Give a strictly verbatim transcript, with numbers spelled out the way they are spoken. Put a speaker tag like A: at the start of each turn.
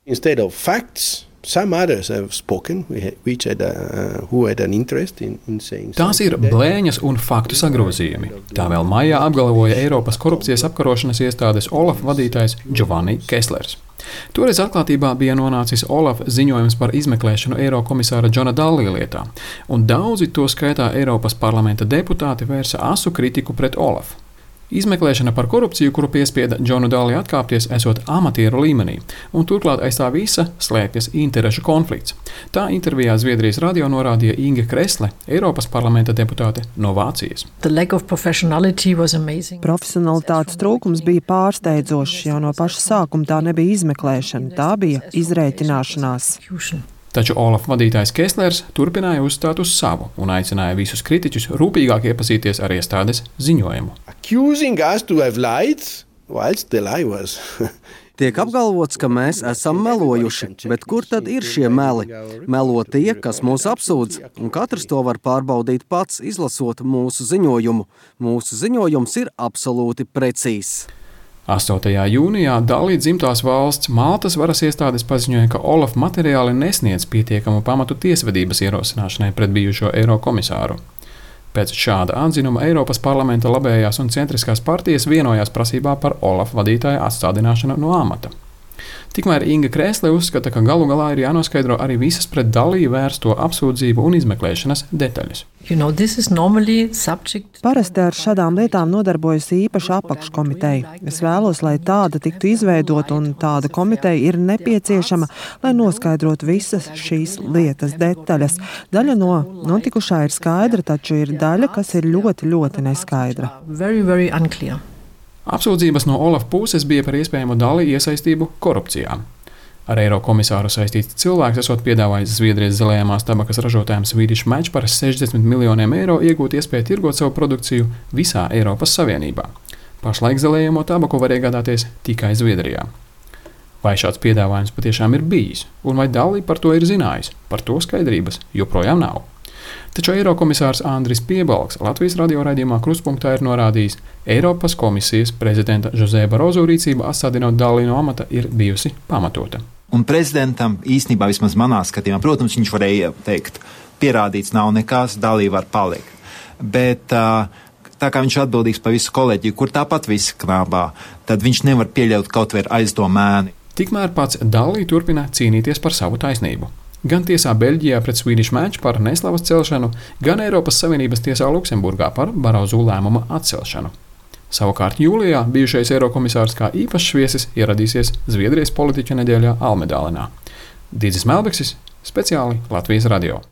A: Instead of facts, some others have spoken, which had, uh, who had an interest in, in saying.
B: Tās ir blēņas un faktu sagrozījumi. Tā vēl maijā apgalvoja Eiropas korupcijas apkarošanas iestādes OLAF vadītājs Giovanni Kesslers. Toreiz atklātībā bija nonācis OLAF ziņojums par izmeklēšanu Eirokomisāra Džona Dallī lietā, un daudzi, to skaitā Eiropas parlamenta deputāti, vērsa asu kritiku pret OLAF. Izmeklēšana par korupciju, kuru piespieda Džonu Dallī atkāpties, esot amatieru līmenī, un turklāt aiz tā visa slēpjas interešu konflikts. Tā intervijā Zviedrijas radio norādīja Inge Kresle, Eiropas parlamenta deputāte no Vācijas.
C: Profesionalitātes trūkums bija pārsteidzošs, jau no paša sākuma tā nebija izmeklēšana, tā bija izrēķināšanās.
B: Taču OLAF vadītājs Kesslers turpināja uzstāt uz savu un aicināja visus kritiķus rūpīgāk iepazīties ar iestādes ziņojumu.
A: Accusing us to have lied, whilst the lie was.
D: Tiek apgalvots, ka mēs esam melojuši, bet kur tad ir šie meli? Melo tie, kas mūs apsūdz, un katrs to var pārbaudīt pats, izlasot mūsu ziņojumu. Mūsu ziņojums ir absolūti precīzs.
B: astotajā jūnijā Dallī dzimtās valsts Maltas varas iestādes paziņoja, ka OLAF materiāli nesniedz pietiekamu pamatu tiesvedības ierosināšanai pret bijušo Eirokomisāru. Pēc šāda atzinuma Eiropas parlamenta labējās un centriskās partijas vienojās prasībā par OLAF vadītāja atstādināšanu no amata. Tikmēr Inga Kresle uzskata, ka galu galā ir jānoskaidro arī visas pret Dallī vērsto apsūdzību un izmeklēšanas detaļas.
C: You know, Parasti ar šādām lietām nodarbojas īpaša apakškomiteja. Es vēlos, lai tāda tiktu izveidota, un tāda komiteja ir nepieciešama, lai noskaidrotu visas šīs lietas detaļas. Daļa no notikušā ir skaidra, taču ir daļa, kas ir ļoti, ļoti neskaidra.
E: Very, very unclear.
B: Apsūdzības no OLAF puses bija par iespējamu Dallī iesaistību korupcijā. Ar Eirokomisāru saistīts cilvēks esot piedāvājis Zviedrijas zilējamās tabakas ražotājiem Swedish Match par sešdesmit miljoniem eiro iegūt iespēju tirgot savu produkciju visā Eiropas Savienībā. Pašlaik zilējamo tabaku var iegādāties tikai Zviedrijā. Vai šāds piedāvājums patiešām ir bijis, un vai Dallī par to ir zinājis? Par to skaidrības joprojām nav. Taču Eirokomisārs Andris Piebalgs Latvijas radio raidījumā Kruspunktā ir norādījis, Eiropas komisijas prezidenta José Barroso rīcība atstādinot Dallī no amata ir bijusi pamatota.
F: Un prezidentam īstenībā vismaz manā skatījumā, protams, viņš varēja teikt, pierādīts nav nekas, Dallī var palikt. Bet tā kā viņš atbildīgs par visu kolēģiju, kur tāpat visi knābā, tad viņš nevar pieļaut kaut vai aizdomēni.
B: Tikmēr pats Dallī turpina cīnīties par savu taisnību. Gan tiesā Beļģijā pret Swedish Match par neslavas celšanu, gan Eiropas Savienības tiesā Luksemburgā par Barroso lēmuma atcelšanu. Savukārt jūlijā bijušais Eirokomisārs kā īpašs viesis ieradīsies Zviedrijas politiķu nedēļā Almedālenā. Dīdzis Melbeksis, speciāli Latvijas radio.